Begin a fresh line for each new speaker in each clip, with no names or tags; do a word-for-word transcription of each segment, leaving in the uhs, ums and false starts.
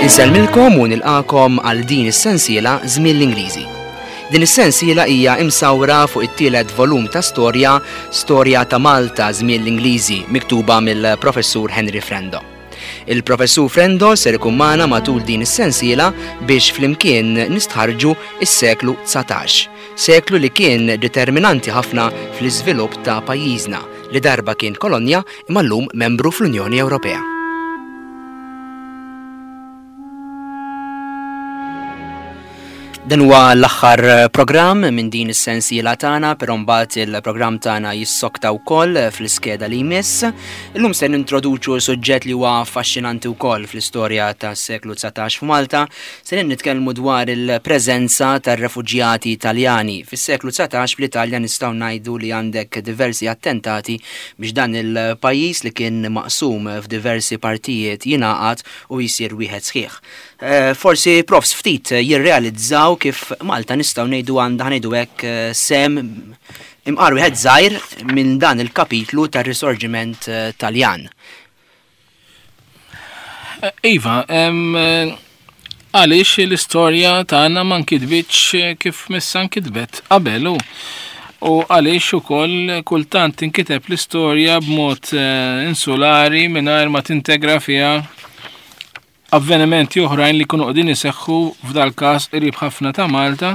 Insellmilkom u nilqakom għal din is-sensiela Żmien l-Ingliżi. Din is-sensiela hija imsawra fuq it-tielet volum ta' storja, Storja ta' Malta Żmien l-Ingliżi, miktuba mill-Professur Henry Frendo. Il-Professur Frendo ser ikun magħna matul din is-sensiela biex flimkien nistħarġu is-seklu dsatax, seklu li kien determinanti ħafna fl-iżvilupp ta' pajjiżna li darba kien kolonja imma llum membru fl-Unjoni Ewropea. Dan huwa l-aħħar programm minn din is-sensiela tagħna, però mbagħad il-programm tagħna jissokta wkoll fl-iskeda li jmiss. Illum se nintroduċu suġġett li huwa affaxxinanti wkoll fl-istorja tas-seklu dsatax f'Malta. Se nitkellmu dwar il-preżenza tar-refuġjati Taljani. Fis-seklu dsatax fl-Italja nistgħu ngħidu li għandek diversi attentati biex dan il-pajjiż li kien maqsum f'diversi partijiet jingħaqad u jsir wieħed sħiħ. Eh, forsi profs ftit jirrealizzaw kif Malta nistgħu ngħidu għandha ngħidu hekk sem imqar wieħed żgħir minn dan il-kapitlu tar-Risorġiment Taljan.
Iva, għaliex l-istorja tagħna ma nkitbitx kif missa nkitbet qabel u għaliex ukoll kultant tinkiteb l-istorja b'mod insulari mingħajr ma tintegra fiha avvenimenti oħrajn li kunu qegħdin iseħħu f'dal każ qrib ħafna ta' Malta,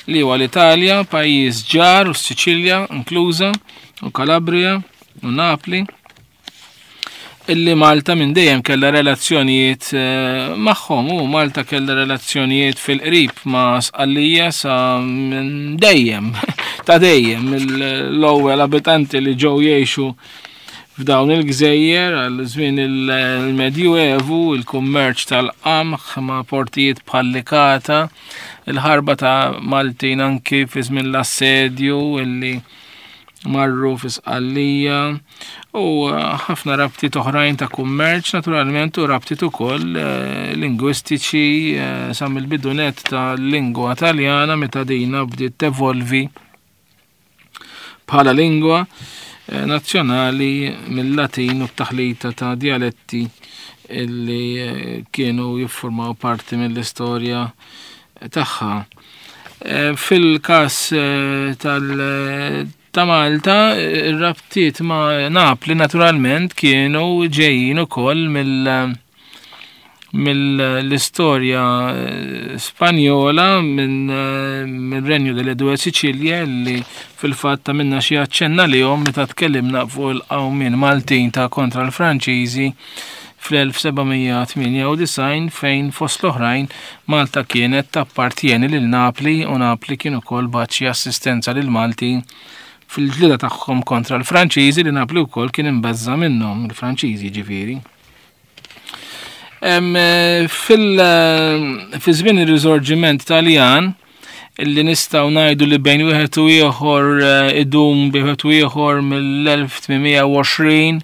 li huwa l-Italja, pajjiż ġar u Siċilja inkluża, u Calabria u Napli, illi Malta minn dejjem kellha relazzjonijiet magħhom, u Malta kellha relazzjonijiet fil-qrib ma' Sqallija sa minn dejjem, ta' dejjem, l-ewwel abitanti li ġew jgħixu f'dawn il-gżejjer għal żmien il-Medjuevu, il-kummerċ tal-qamħ ma' portijiet bħal Licata, il-ħarba ta' Maltin anki fi żmien l-assedju illi marru fi Sqallija, u ħafna rabtiet oħrajn ta' kummerċ naturalment, u rabtiet ukoll lingwistiċi sa mill-bidunet tal-lingwa Taljana meta dina bdiet tevolvi bħala lingwa nazzjonali mill-Latin u t-taħlita ta' dialetti illi kienu jiffurmaw parti mill-istorja tagħha. Fil-każ tal ta' Malta, ir-rabtiet ma' Napli naturalment kienu ġejjin ukoll mill mill-istorja Spanjola minn Renju delle Due Sicilie, li fil-fatt minna xi aċċenna lihom meta tkellimna fuq il-qawmien Maltin ta' kontra l-Franċiżi fl-elf sebgħamija tmienja u disgħin, fejn fost l-oħrajn Malta kienet tappartieni lil Napli, u Napli kien ukoll bagħat xi assistenza lil Maltin fil-ġlieda tagħhom kontra l-Franċiżi, li Napli wkoll kien imbeżża' minnhom, il-Franċiżi ġifieri. Fi żmien ir-Risorġiment Taljan, illi nistgħu ngħidu li bejn wieħed u ieħor idum bejn wieħed u ieħor mill-elf tmienmija u għoxrin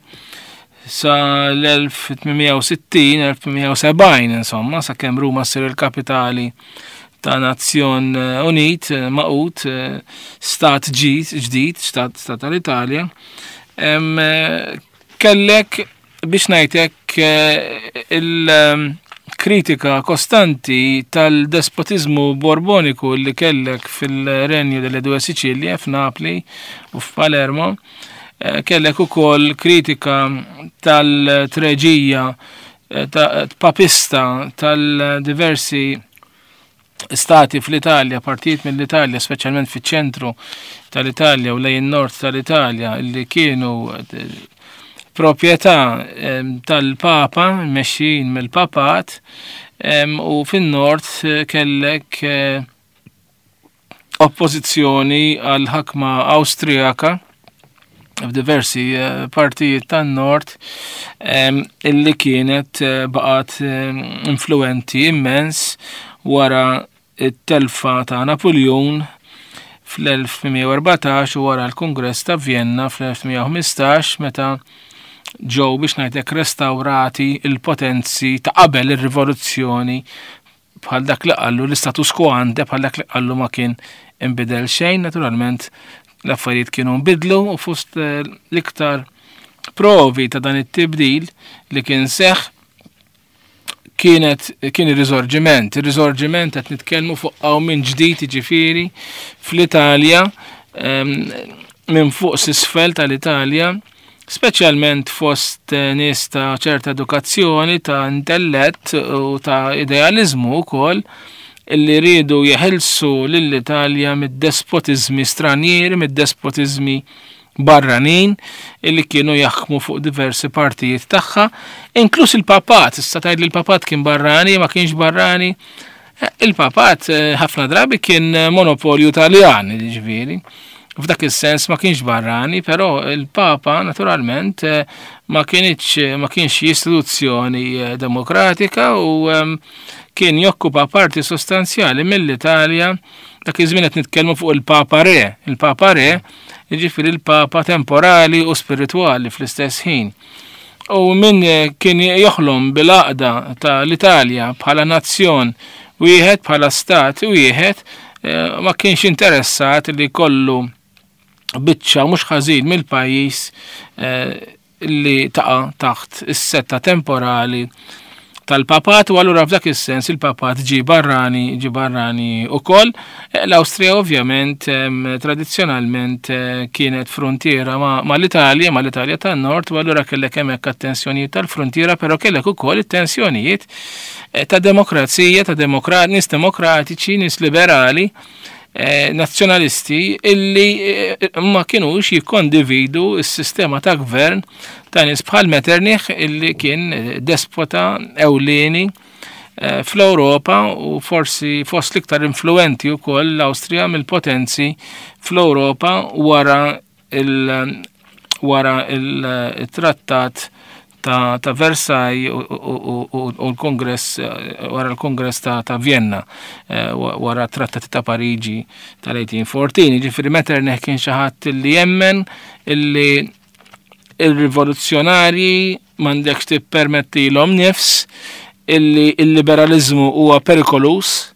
sa l-elf tmienmija u sittin, elf tmienmija u sebgħin, insomma, sakemm Ruma ssir il-kapitali ta' Nazzjon Unit, maqut, stat ġdid, stat, stat tal-Italja. Kellek biex ngħidlek il-kritika kostanti tal-despotizmu borboniku li kellek fil-Renju delle Due Sicilie, f'Napli u f'Palermo, kellek ukoll kritika tal-treġija ta' papista tal-diversi stati fl-Italja, partijiet mill-Italja, speċjalment fiċ-ċentru tal-Italja u lejn nord tal-Italja, li kienu proprjetà tal-Papa, mexxin mill-Papat, u fin-nord kellek oppożizzjoni għal ħakma Awstrijaka f'diversi partijiet tan-nord, illi kienet baqgħet influenti immens wara it-telfa ta' Napoleon fl-elf tmienmija u erbatax u wara l-Kongress ta' Vienna fl-elf tmienmija u ħmistax, meta ġew biex ngħidlek restawrati il-potenzi ta' qabel ir-rivoluzzjoni, bħal dak li qallu l-istatus quo ante, bħal dak li qallu ma kien inbidel xejn. Naturalment l-affarijiet kienu nbidlu, u fost l-iktar provi ta' dan it-tibdil li kien seħħ kienet kien ir-riżorġiment. Ir-riżorġiment qed nitkellmu fuq qawmien ġdid, jiġifieri fl-Italja, minn fuq s'isfel tal-Italja, speċjalment fost nies ta' ċerta edukazzjoni, ta' intellett u ta' idealizmu wkoll, illi riedu jeħilsu lill-Italja mid-despotizmi stranieri, mid-despotizmi barranin illi kienu jaħkmu fuq diversi partijiet tagħha, inkluż il-papat. Issa tgħid li l-papat kien barrani, ma kienx barrani. Il-papat ħafna drabi kien monopolju Taljan, ġifieri. F'dak is-sens ma kienx barrani, però il-Papa naturalment ma kienx ma kienx istituzzjoni demokratika u kien jokkupa parti sostanzjali mill-Italja. Dak iż-żmien qed nitkellmu fuq il-Papa Re. Il-Papa Re, jiġifieri il-Papa temporali u spiritwali fl-istess ħin. U min kien joħlom bil-għaqda tal-Italja bħala nazzjon wieħed, bħala stat wieħed, ma kienx interessat li kollu biċċa mhux ħażin mill-pajjiż li taqa' taħt is-setta temporali tal-papat, u allura f'dak is-sens il-papat ġi barrani, ġi barrani ukoll. L-Awstrija ovvjament tradizzjonalment kienet frontiera ma' l-Italja, ma' l-Italja tan-Nord, u allura kellek hemmhekk attenzjonijiet tal-frontiera, però kellek ukoll it-tensjonijiet ta' demokrazija, ta' demokra-, nies demokratiċi, nies liberali, nazzjonalisti illi ma kienux jikkondividu s-sistema ta' gvern ta' nies bħal Metternich, illi kien despota ewlieni fl-Ewropa u forsi fost l-iktar influenti wkoll l-Awstrija mill-potenzi fl-Ewropa wara il wara il-trattat ta', ta' Versailles u l-Kongress, wara l-Kongress ta', ta' Vienna, wara trattati ta' Pariġi tal-eighteen fourteen. Ġifieri Metternich kien xi ħadd li jemmen illi il-rivoluzzjonarji m'għandekx tippermettilhom nifs, illi il-liberalizmu huwa perikolus,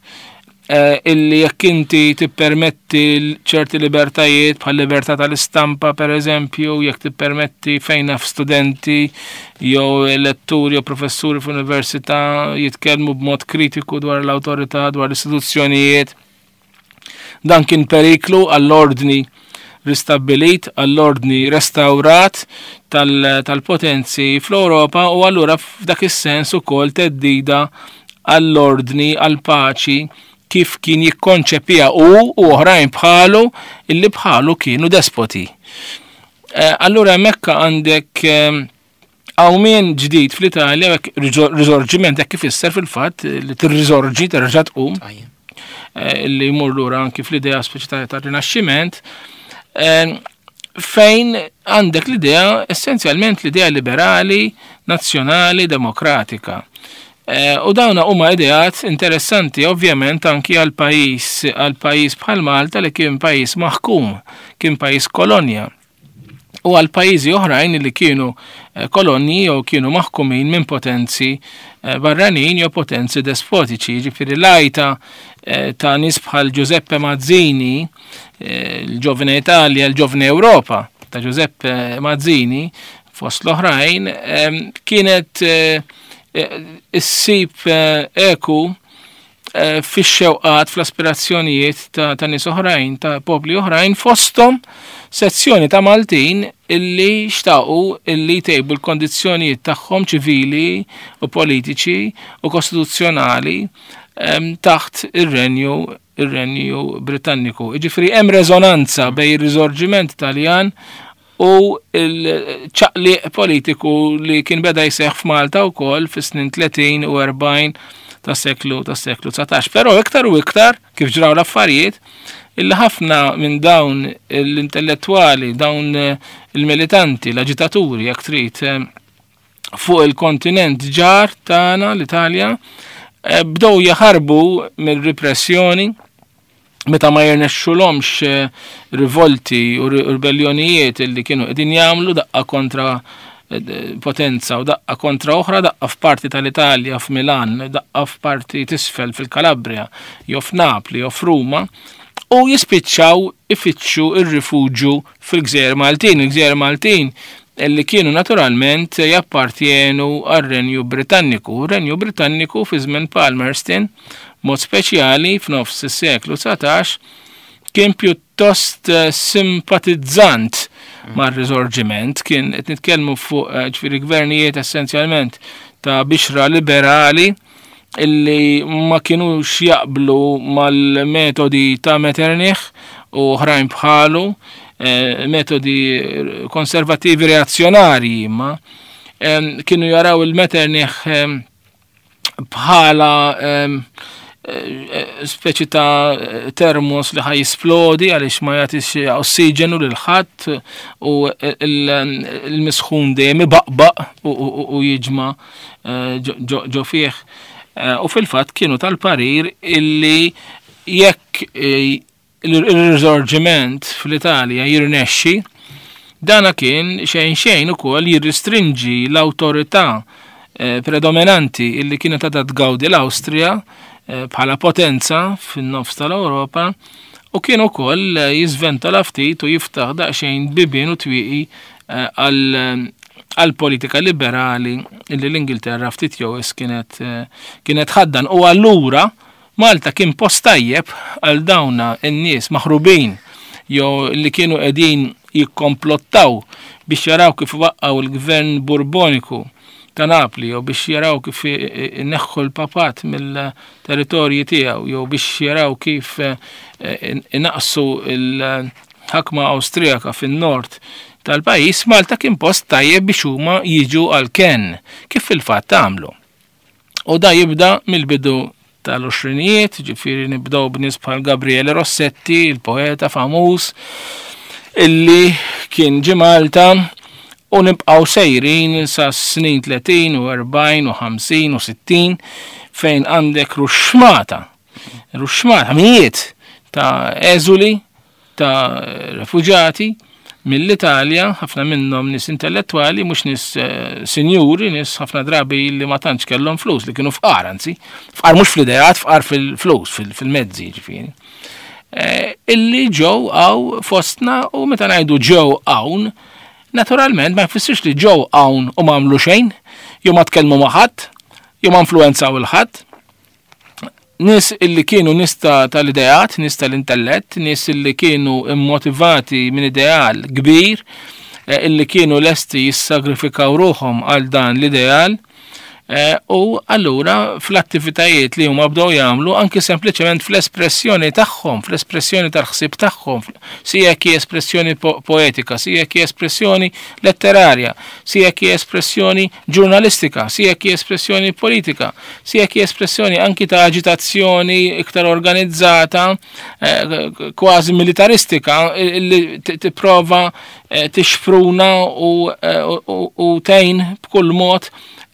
illi jekk inti tippermetti ċerti libertajiet bħal libertà tal-istampa per eżempju, jekk tippermetti fejn naf studenti jew letturi jew professuri f'università jitkellmu b'mod kritiku dwar l-awtorità, dwar l-istituzzjonijiet, dan kien periklu għall-ordni ristabbilit, għall-ordni restawrat tal-potenzi fl-Ewropa, u allura f'dak is-sens ukoll theddida għall-ordni, għall-paċi kif kien jikkonċepija u u oħrajn bħalu illi bħalu kienu despoti. Allura hemmhekk għandek qawmien ġdid fl-Italja, hekk riżorġiment, hekk ifisser fil-fatt li tirriżorġi, terġa' tqum, li jmur lura anki fl-idea speċi tar-Rinaxximent, fejn għandek l-idea, essenzjalment l-idea liberali, nazzjonali, demokratika. U dawna huma ideat interessanti ovvjament anki għal pajjiż, għal pajjiż bħal Malta li kien pajjiż maħkum, kien pajjiż kolonja, u għal pajjiżi oħrajn li kienu kolonji jew kienu maħkumin minn potenzi barranin jew potenzi despotiċi. Ġifieri l-għajta ta' nies bħal Giuseppe Mazzini, il-Giovine Italia, il-Giovine Europa ta' Giuseppe Mazzini fost l-oħrajn, kienet issib eku fix-xewqat, fl-aspirazzjonijiet ta' nies oħrajn, ta' popli oħrajn, fosthom sezzjoni ta' Maltin illi xtaqu illi jtejbu l-kondizzjonijiet tagħhom ċivili u politiċi u kostituzzjonali taħt ir-renju ir-renju Britanniku. Jiġifieri hemm reżonanza bejn ir-riżorġiment Taljan u l-ċaqliq politiku li kien beda jseħħ f'Malta wkoll fis-snin tletin u erbgħin tas-seklu tas-seklu dsatax. Però iktar u iktar kif ġraw l-affarijiet, illi ħafna minn dawn l-intellettwali, dawn il-militanti, l-aġitaturi, jekk trid, fuq il-kontinent ġar tagħna l-Italja, bdew jaħarbu mill-repressjoni meta ma jirnexxulhomx rivolti u ribellionijiet illi kienu qegħdin jagħmlu daqqa kontra potenza u daqqa kontra oħra, daqqa f'parti tal-Italja f'Milan, daqqa f'parti tisfel fil-Kalabria, jew f'Napli, jew f'Ruma, u jispiċċaw ifittxu ir-rifuġju fil-Gżejjer Maltin. Il-Gżejjer Maltin Li kienu naturalment jappartjenu għar-Renju Britanniku. Renju Britanniku fi żmien Palmerston, mod speċjali f'nofs is-seklu dsatax, kien pjuttost eh, simpatizzant mar-risorġiment, kien qed nitkellmu fuq eh, ġifieri gvernijiet essenzjalment ta' bixra liberali illi ma kienux jaqblu mal-metodi ta' Metternich u oħrajn bħalu, eh, metodi konservativi reazzjonarji, imma kienu jaraw il-Metternich bħala speċi ta' termos li ħa jisplodi għaliex ma jagħtix ossiġenu lil ħadd u l-misħun dejjem ibaqbaq u jiġma eh, ġo fih. Eh, u fil-fatt kienu tal-parir illi jekk eh, il-risorġiment fl-Italja jirnexxi, dana kien xejn xejn ukoll jirristrinġi l-awtorità predominanti illi kienet għadha tgawdi l-Awstrija bħala potenza fin-nofs tal-Ewropa, u kien ukoll jiżventola ftit u jiftaħ daqsxejn bibien u twieqi għal għal politika liberali illi l-Ingilterra ftit jew kienet kienet ħaddan. U allura Malta kien post tajjeb għal dawna n-nies maħrubin jew li kienu qegħdin jikkomplottaw biex jaraw kif waqqgħu l-gvern Burboniku ta' Napli, jew biex jaraw kif ineħħu l-papat mill-territorji tiegħu, jew biex jaraw kif inaqsu l-ħakma Awstrijaka fin-nord tal-pajjiż. Malta kien post tajjeb biex huma jiġu għal ken, kif fil-fatt għamlu. U da jibda mill-bidu tal-għoxrinijiet, ġifieri nibdew b'nies bħal Gabriele Rossetti, il-poeta famuż, illi kien ġie Malta, u nibqgħu sejrin sa snin tletin u erbgħin u ħamsin u sittin, fejn għandek ruxxmata, ruxxmata mijiet ta' eżuli, ta' refuġati mill-Italja, ħafna minnhom nies intellettwali, mhux nies eh, sinjuri, nies ħafna drabi li ma tantx kellhom flus, li kienu fqar, anzi, fqar mhux fl-ideat, fqar fil-flus, fil-mezzi, ġifieri. Eh, illi ġew hawn fostna, u meta ngħidu ġew hawn, naturalment ma jfissirx li ġew hawn u ma għamlu xejn, jew ma tkellmu ma' ħadd, jew ma influenzaw il-ħadd. Nies illi kienu nies tal-ideat, nies tal-intellett, nies illi kienu immotivati minn ideal kbir, eh, illi kienu lesti jissagrifikaw ruħhom għal dan l-ideal, eh, u allura fl-attivitajiet li huma bdew jagħmlu, anki sempliċement fl-espressjoni tagħhom, fl-espressjoni tal-ħsieb tagħhom, sija jekk hi espressjoni po- poetika, sija jekk hi espressjoni letterarja, sija jekk hi espressjoni ġurnalistika, sija jekk hi espressjoni politika, sija jekk hi espressjoni anki ta' aġitazzjoni iktar organizzata, eh, kważi militaristika, li tipprova eh, tixpruna u, eh, u, u tgħin b'kull mod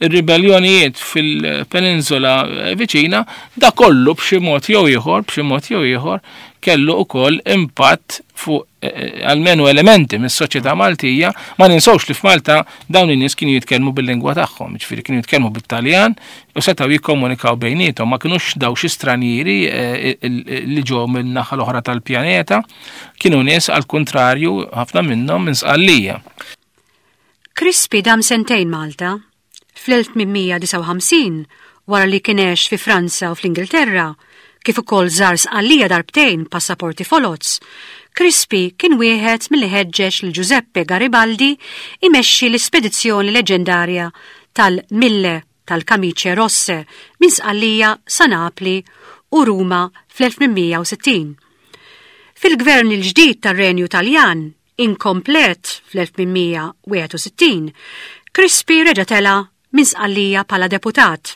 ir-ribellionijiet fil-peninsula viċina, da kollu b'xi mod jew ieħor, b'xi mod jew ieħor kellu ukoll impatt fuq eh, almenu elementi mis-soċjetà Maltija. Ma ninsewx li f'Malta dawn in-nies kienu jitkellmu bil-lingwa tagħhom, ġifieri kienu jitkellmu bit-Taljan u setgħu jikkomunikaw bejniethom, ma kinux daw xi stranieri eh, li ġew minn naħa l-oħra tal-pjaneta, kienu nies għal kontrarju ħafna minnhom minn Sqallija.
Crispi dam sentejn Malta. Fl-elf tmien mija disgħa u ħamsin, wara li kien għex fi Franza u fl-Ingilterra, kif ukoll żar Sqallija darbtejn passaporti foloz, Crispi kien wieħed milli ħeġġeġ lil Giuseppe Garibaldi imexxi l-ispedizzjoni leġendarja tal-Mille tal-Camicie Rosse minn Sqallija sa Napli u Ruma fl-elf tmien mija u sittin. Fil-gvern il-ġdid tar-Renju Taljan, inkomplet fl-elf tmien mija wieħed u sittin, Crispi reġa' tela' minn Sqallija bħala deputat.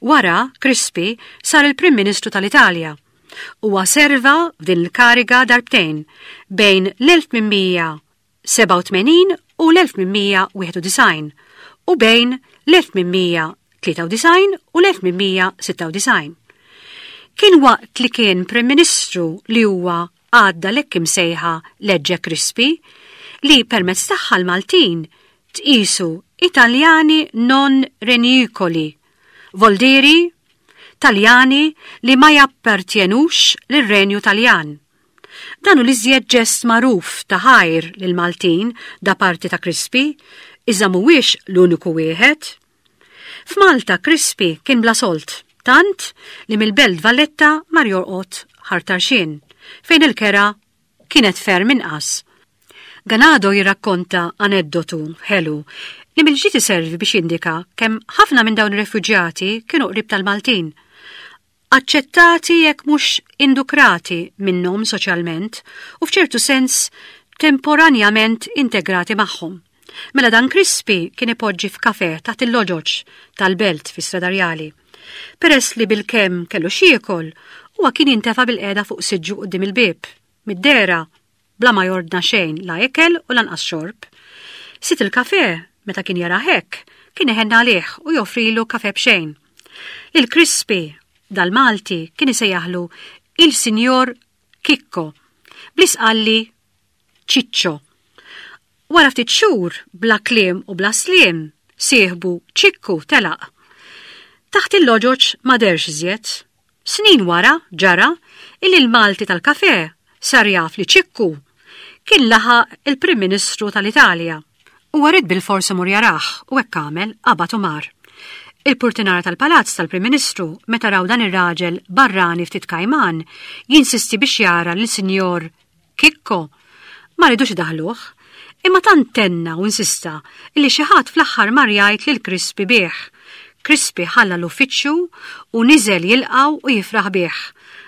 Wara, Crispi sar il-Prim Ministru tal-Italja. Huwa serva f'din il-kariga darbtejn bejn l-elf tmien mija sebgħa u tmenin u l-elf tmien mija wieħed u disgħin u bejn l-elf tmien mija tlieta u disgħin u l-elf tmien mija sitta u disgħin. Kien waqt li kien Prim Ministru li huwa għadda l-hekk imsejħa Legge Crispi, li permezz tagħha l-Maltin tqisu Italjani non regnicoli, voldiri Taljani li ma jappartjenux lir-Renju Taljan. Dan hu l-iżjed ġest magħruf ta' ħajr lil Maltin da parti ta' Crispi, iżda mhuwiex l-uniku wieħed. F'Malta Crispi kien bla sold, tant li mill-Belt Valletta mar jorqod Ħal Tarxien, fejn il-kera kienet ferm inqas. Ganado jirrakkonta aneddotu ħelu li mill-ġdid iservi biex jindika kemm ħafna minn dawn ir-refuġjati kienu qrib tal-Maltin. Aċċettati jekk mhux indukrati minnhom soċjalment u f'ċertu sens temporanjament integrati magħhom. Mela dan Crispi kien ipoġġi f'kafe taħt il-loġoġ tal-belt fi Strada Rjali. Peress li bil-kemm kellu x'jiekol, huwa kien jintefa' bil-qiegħda fuq siġġu quddiem il-bieb. Mid-dehra, bla ma jordna xejn la ikel u lanqas xorb. Sid il-kafe, meta kien jara hekk, kien iħenna għalih u joffrilu kafe b'xejn. Lil Crispi, dal-Malti, kien isejjaħlu il-Sinjor Kikko, bl-Isqalli Ċiċċo. Wara ftit xhur, bla kliem u bla sliem, sieħbu Ċikku telaq. Taħt il-loġoġ ma dehrx iżjed. Snin wara ġara illi l-Malti tal-kafe sar jaf li Ċikku kien laħaq il-Prim Ministru tal-Italja. Huwa ried bil-forsi mur jarah u hekk għamel, qabad u mar. Il-purtinara tal-palazz tal-Prim Ministru meta raw dan ir-raġel barrani ftit kajman jinsisti biex jara lil Sinjor Kikko ma ridux idaħluh, imma tant tenna u insista illi xi ħadd fl-aħħar mar jgħid lil Crispi bih. Crispi ħalla l-uffiċċju u niżel jilqgħu u jifraħ bih.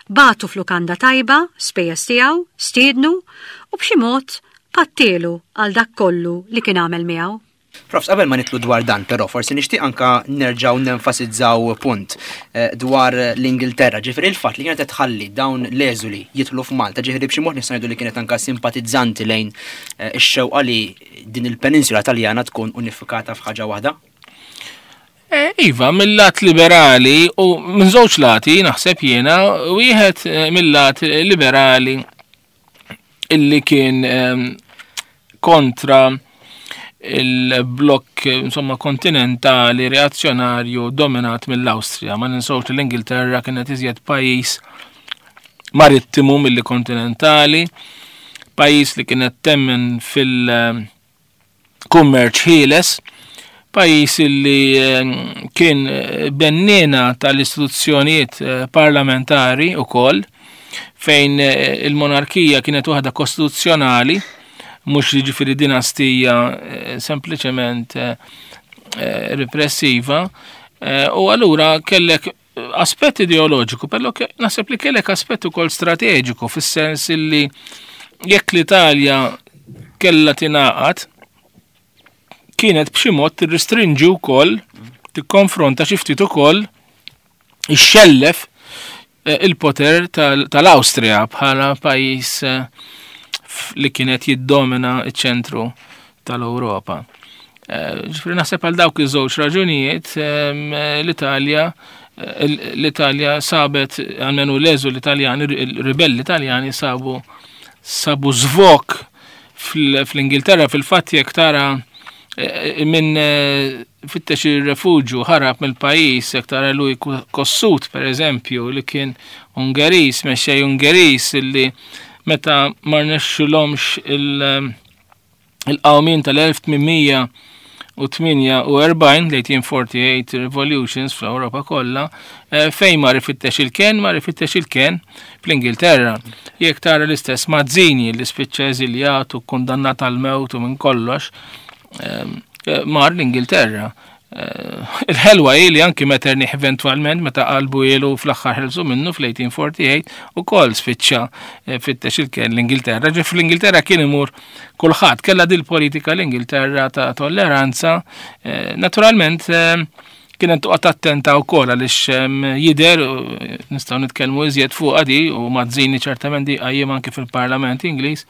Bagħtu f'lukanda tajba, spejjeż tiegħu, stiednu u b'xi mod pattielu għal dak kollu li kien għamel miegħu.
Profs, qabel ma nidħlu dwar dan, però forsi nixtieq anka nerġgħu nenfasizzaw punt eh, dwar l-Ingilterra, ġifieri il-fatt li kienet tħalli dawn l-eżuli jidħlu f'Malta, ġifieri b'xi mod nistgħu ngħidu li kienet anka simpatizzanti lejn eh, ix-xewqa li din il-peninsula Taljana tkun unifikata f'ħaġa waħda.
Eh, Iva, mill-lat liberali u minn żewġ lati naħseb jiena, wieħed eh, mill-lat liberali illi kien ehm, kontra il-blokk insomma kontinentali reazzjonarju dominat mill-Awstrija. Ma ninsewx li l-Ingilterra kienet iżjed pajjiż marittimu milli kontinentali, pajjiż li kienet temmen fil-kummerċ ħieles, pajjiż li eh, kien bennina tal-istituzzjonijiet eh, parlamentari ukoll, fejn eh, il-monarkija kienet waħda kostituzzjonali, mhux jiġifieri dinastija eh, sempliċement eh, eh, repressiva, eh, u allura kellek aspett ideoloġiku, però ke- naħseb li kellek aspett ukoll strateġiku, fis-sens illi jekk l-Italja kellha tingħaqad, kienet b'xi mod tirrestrinġi wkoll, tikkonfronta xi ftit ukoll ixxellef eh, il-poter tal- tal-Awstrija bħala pajjiż eh, f- li kienet jiddomina iċ-ċentru tal-Ewropa. Eh, Ġifieri naħseb għal dawk iż-żewġ raġunijiet ehm, l-Italja eh, l-Italja sabet, almenu l-eżuli l-Italjani, il-ribelli Italjani sabu sabu żvok fl- fl-Ingilterra. Fil-fatt jekk tara eh, minn eh, fittex il-refugju ħarab mill-pajjiż, jekk tara Louis Kossuth per eżempju, li kien Ungeris, mexxej Ungeris, illi meta ma rnexxilhomx il- il-qawmien tal-elf tmien mija u tmienja u erbgħin, l-eighteen forty-eight revolutions fl-Ewropa kollha, eh, fejn mar ifittex il-ken, mar ifittex il-ken fl-Ingilterra. Jekk tara l-istess Mazzini li spiċċa eżiljat u kundannat għal mewt u minn kollox, ehm, eh, mar l-Ingilterra. Eh, Il-ħelwa hi li anki Metternich eventualment meta qalbu ilu fl-aħħar ħelsu minnu fl-eighteen forty-eight ukoll spiċċa eh, fittex il-ken l-Ingilterra. Ġi fl-Ingilterra kien imur kulħadd, kellha dil politika l-Ingilterra ta' tolleranza. Eh, Naturalment eh, kienet toqgħod attenta wkoll għaliex ehm, jidher nistgħu nitkellmu iżjed fuq di u Mazzini ċertament di qajjem anke fil-Parlament Ingliż,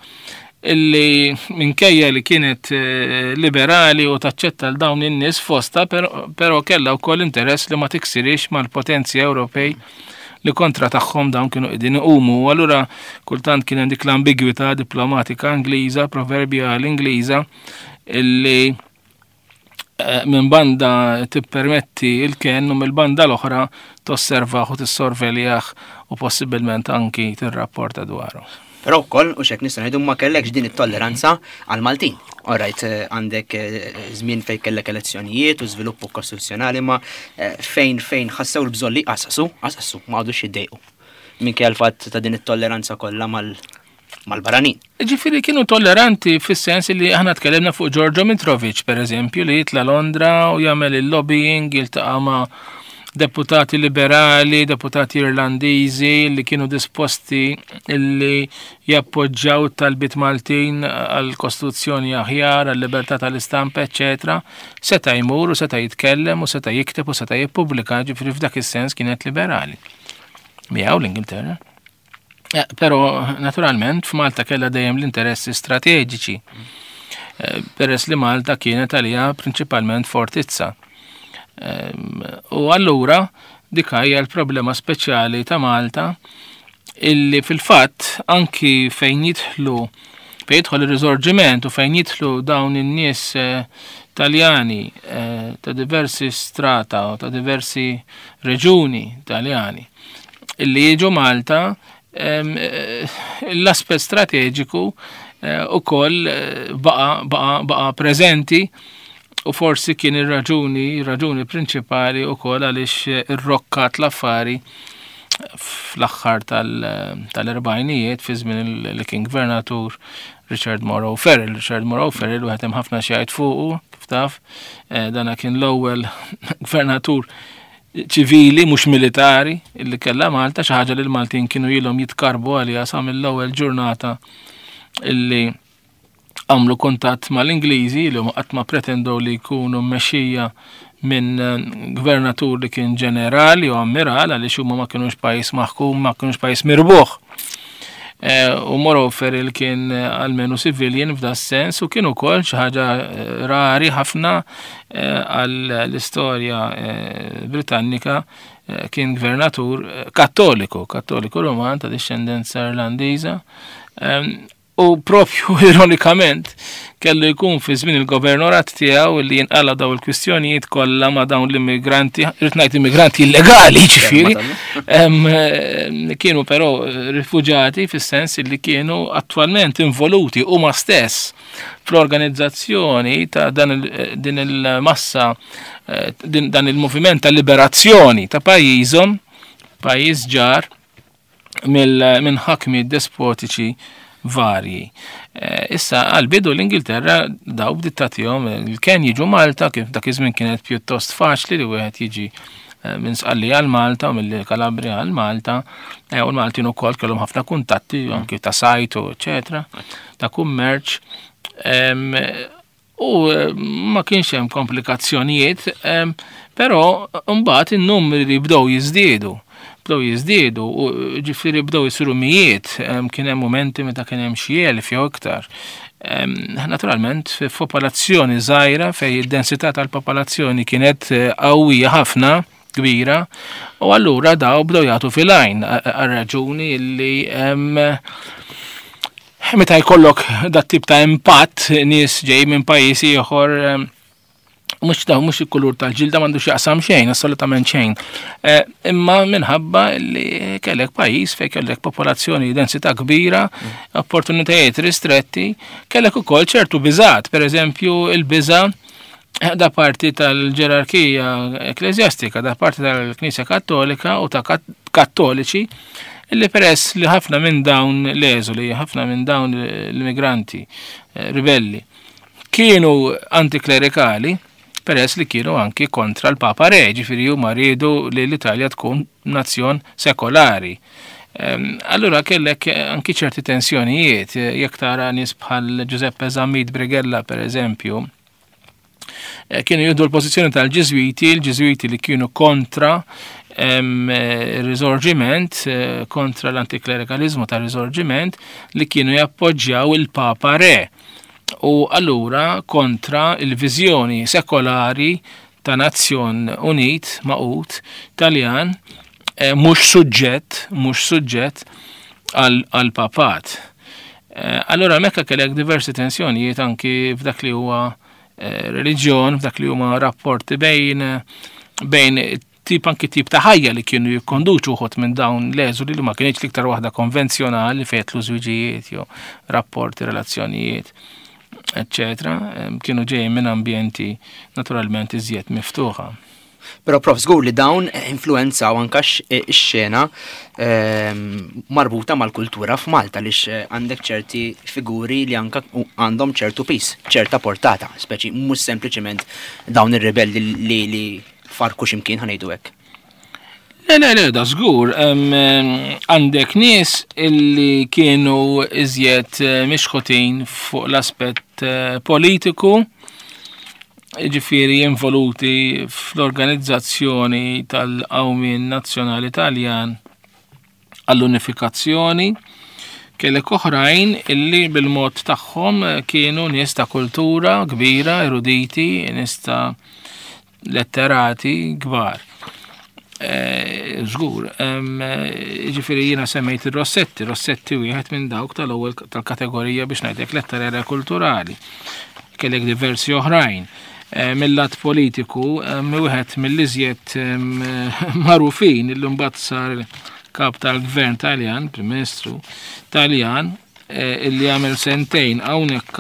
illi minkejja li kienet eh, liberali u taċċetta l dawn in-nies fosta, però però kellha wkoll interess li ma tiksirix mal-potenzi Ewropej li kontra tagħhom dawn kienu qegħdin iqumu. U allura kultant kien hemm dik l-ambigwità diplomatika Ingliża, proverbjali Ingliża, illi eh, minn banda tippermetti il-ken u mill-banda l-oħra tosservaħ u tissorveljah u possibilment anki tirrapporta dwaru.
Però wkoll u xek nista' ngħidu ma kellekx din it-tolleranza għal Maltin. Alright, għandek żmien fejn kellek elezzjonijiet u żviluppu kostituzzjonali ma fejn fejn ħassew l-bżonn li qassasu, qassasu, ma għadux jiddejqu. Minkejja l-fatt ta' din it-tolleranza kollha mal mal-barranin.
Ġifieri kienu tolleranti fis-sens li aħna tkellimna fuq Giorgio Mitrovic, per eżempju, li jitla Londra u jagħmel il-lobbying, jiltaqa' ma' deputati liberali, deputati irlandiżi li kienu disposti li jappoġġjaw talbiet Maltin għal kostituzzjoni aħjar, għal libertà tal-istampa, eċetera. Seta' jmur u seta' jitkellem u seta' jikteb u seta' jippubblika, ġifieri f'dak is-sens kienet liberali. Miegħu l-Ingilterra. Eh, però naturalment f'Malta kellha dejjem l-interessi strateġiċi. Eh, peress li Malta kienet għalija prinċipalment fortizza. U allura dik hija l-problema speċjali ta' Malta illi fil-fatt anki fejn jidħlu fejn jidħol ir-risorġiment u fejn jidħlu dawn in-nies eh, Taljani eh, ta' diversi strata u ta' diversi reġuni Taljani illi jiġu Malta eh, l-aspett strateġiku ukoll baqa baqa baqa preżenti u forsi kien ir-raġuni, raġuni prinċipali ukoll għaliex irrokkat l-affari fl-aħħar tal-erbgħinijiet fi żmien li kien gvernatur Richard Morrow Farrell. Richard Morrow Farrell wieħed hemm ħafna xi jgħid fuqu, kif taf, eh, dana kien l-ewwel gvernatur ċivili mhux militari illi kellha Malta, xi ħaġa li l-Maltin kienu ilhom jitkarbu għaliha sa mill-ewwel ġurnata illi għamlu kuntatt mal-Ingliżi li huma qatt ma pretendew li jkunu mmexxija minn eh, gvernatur li kien ġenerali u ammiral għaliex huma ma kinux pajjiż maħkum, ma kinux pajjiż mirbuħ. Eh, u Morrow Farrell kien eh, almenu civilian f'da sens u kien ukoll xi ħaġa rari ħafna għall-istorja Britannika kien gvernatur kattoliku, kattoliku Roman ta' discendenza Irlandiża. U propju ironikament kellu jkun fi żmien il-governorat tiegħu li jinqala daw il-kwistjonijiet kollha ma' dawn l-immigranti, rrid ngħid immigranti illegali ġifieri, kienu però rifuġati fis-sens li kienu attwalment involuti huma stess fl-organizzazzjoni ta' dan din il-massa, dan il-moviment ta' liberazzjoni ta' pajjiżhom, pajjiż ġar minn ħakmi despotiċi varji. Issa għal-bidu l-Ingilterra daw bdiet tagħtihom il-ken jiġu Malta, kif dak iż-żmien kienet pjuttost faċli li wieħed jiġi minn Sqallija għal Malta u mill-Kalabria għal Malta, u l-Maltin ukoll kellhom ħafna kuntatti anki ta' sajt u eċetera, ta' kummerċ. U ma kienx hemm komplikazzjonijiet, però mbagħad in-numri li bdew jiżdiedu. Bdew jiżdiedu u ġifieri bdew isiru mijiet, kien hemm momenti meta kien hemm xi elf jew iktar. Naturalment f'popolazzjoni żgħira fejn id-densità tal-popolazzjoni kienet qawwija ħafna, kbira, u allura daw bdew jagħtu fil-għajn għar-raġuni li meta jkollok dat tip ta' impatt nies ġej minn pajjiż ieħor mhux daw mhux il-kulur tal-ġilda m'għandux jaqsam xejn, assolutament xejn. Imma minħabba li kellek pajjiż fejn kellek popolazzjoni densità kbira, opportunitajiet ristretti, kellek ukoll ċertu biżgħat, pereżempju il-biża' da parti tal-ġerarkija ekklesjastika, da parti tal-Knisja Kattolika u ta' kattoliċi, illi peress li ħafna minn dawn l-eżuli, ħafna minn dawn l-immigranti ribelli, kienu antiklerikali, peress li kienu anki kontra l-Papa Re, ġifieri huma riedu li l-Italja tkun nazzjon sekolari. Allura kellek anki ċerti tensjonijiet, jekk tara nies bħal Giuseppe Zammit Brighella per eżempju, kienu jieħdu l-pożizzjoni tal-Ġiżwiti, l-Ġiżwiti li kienu kontra il-Risorġiment, kontra l-antiklerikalizmu tal-Risorġiment, li kienu jappoġġjaw il-Papa Re. U allura kontra il-viżjoni sekolari ta' nazzjon unit, magħqud, Taljan, mhux suġġett, mhux suġġett għal-papat. Allura mekka kellek diversi tensjonijiet anki f'dak li huwa reliġjon, f'dak li huma rapporti bejn bejn Tip anki tip ta' ħajja li kienu jikkonduċu uħud minn dawn l-eżuli li ma kienx l-iktar waħda konvenzjonali fejn jidħlu żwiġijiet jew rapporti, relazzjonijiet, eccetera, kienu ġejjin minn ambjenti naturalment iżjed miftuħa.
Però, Prof, żgur li dawn influenzaw anka x-xena ehm, marbuta mal-kultura f'Malta, lix eh, għandek ċerti figuri li anka għandhom ċertu pis, ċerta portata, speċi mhux sempliċement dawn ir-ribelli li li farku x'imkien, ħa ngħidu hekk.
Le, le, le, da żgur, għandek nies illi kienu iżjed eh, mixħutin fuq l-aspett eh, politiku, ġifieri involuti fl-organizzazzjoni tal-Qawmien Nazzjonali Taljan għall-unifikazzjoni, kellek oħrajn illi bil-mod tagħhom kienu nies ta' kultura kbira, eruditi, nies ta' letterati kbar. Eh, żgur, ġifieri jiena semmejt il-Rossetti, Rossetti wieħed minn dawk tal-ewwel tal-kategorija, biex ngħidlek, letterarja kulturali. Kellek diversi oħrajn. Eh, mill-lat politiku, wieħed mill-iżjed magħrufin illi mbagħad sar kap tal-gvern Taljan, Prim Ministru Taljan, eh, illi għamel sentejn hawnhekk,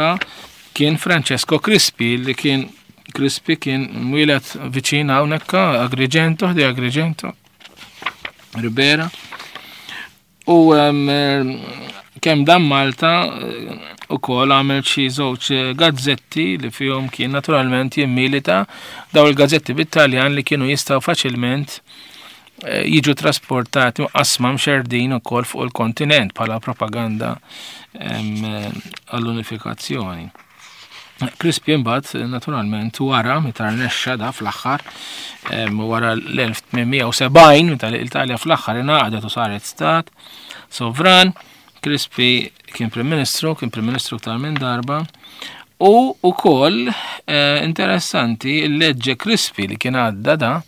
kien Francesco Crispi, li kien Crispi kien mwieled viċin hawnhekk, Agrigento, di Agrigento, Ribera. U kemm dam Malta u kol għamel xi żewġ gazzetti li fihom kien naturalment jimmilita, daw il-gazzetti bit-Taljan li kienu jistgħu faċilment eh, jiġu trasportati qasma mxerdin ukoll fuq il-kontinent bħala propaganda għall-unifikazzjoni. Crispi imbagħad naturalment wara, meta rnexxa da fl-aħħar, wara l-elf tmien mija u sebgħin, meta l-Italja fl-aħħar ingħaqdet u saret stat sovran, Crispi kien Prim Ministru, kien Prim Ministru aktar minn darba. U ukoll eh, interessanti il-leġġe Crispi li kien għadda da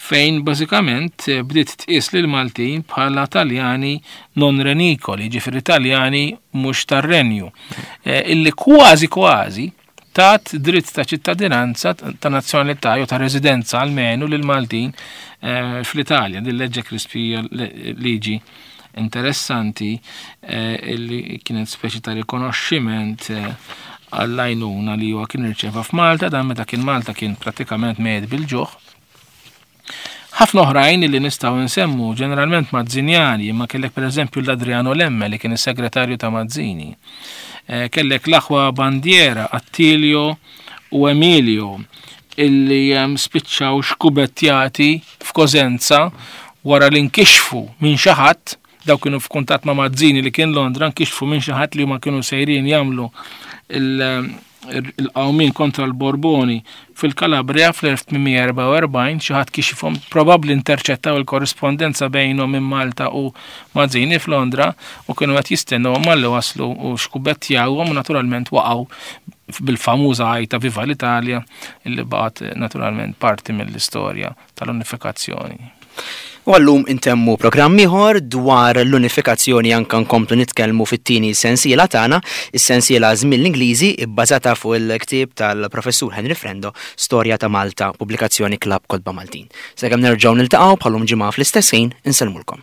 fejn bażikament bdiet tqis lil Maltin bħala Taljani non renicoli, ġifieri Taljani mhux tar-renju, eh, illi kważi kważi tat dritt ta' ċittadinanza, ta' nazzjonalità jew ta' residenza almenu lil Maltin eh, fl-Italja. Din leġġe Crispi, liġi interessanti eh, illi kienet speċi ta' rikonoxximent għall-għajnuna li huwa kien irċeva f'Malta, dan meta kien Malta kien pratikament mejjet bil-ġuħ. Ħafna oħrajn li nistgħu nsemmu, ġeneralment Mazzinjani, imma kellek pereżempju l-Adriano Lemme li kien is-segretarju ta' Mazzini. Eh, kellek l-aħwa Bandiera, Attilio u Emilio, illi spiċċaw xkubettjati f'Kosenza wara li nkixfu minn xi ħadd. Daw kienu f'kuntatt ma' Mazzini li kien Londra, nkixfu minn xi ħadd li huma kienu sejrin jagħmlu il-qawmin kontra l-Borboni fil-Kalabria fl-elf tmien mija u erbgħa u erbgħin. Xi ħadd kixifhom, probabbli interċettaw il-korrispondenza bejnhom minn Malta u Mazzini f'Londra, u kienu qed jistennew malli waslu u xkubettjawhom u naturalment waqgħu bil-famuża għajta "Viva l-Italja", illi baqgħet naturalment parti mill-istorja tal-unifikazzjoni.
U għallum intemmu programm ieħor dwar l-unifikazzjoni, anka nkomplu nitkellmu fit-tieni sensiela tagħna, is-sensiela Żmien l-Ingliżi, ibbażata fuq il-ktieb tal-Professur Henry Frendo, Storja ta' Malta, pubblikazzjoni Klabb Kotba Maltin. Sakemm nerġgħu niltaqgħu bħalum ġimgħa fl-istess ħin, insellmulkom.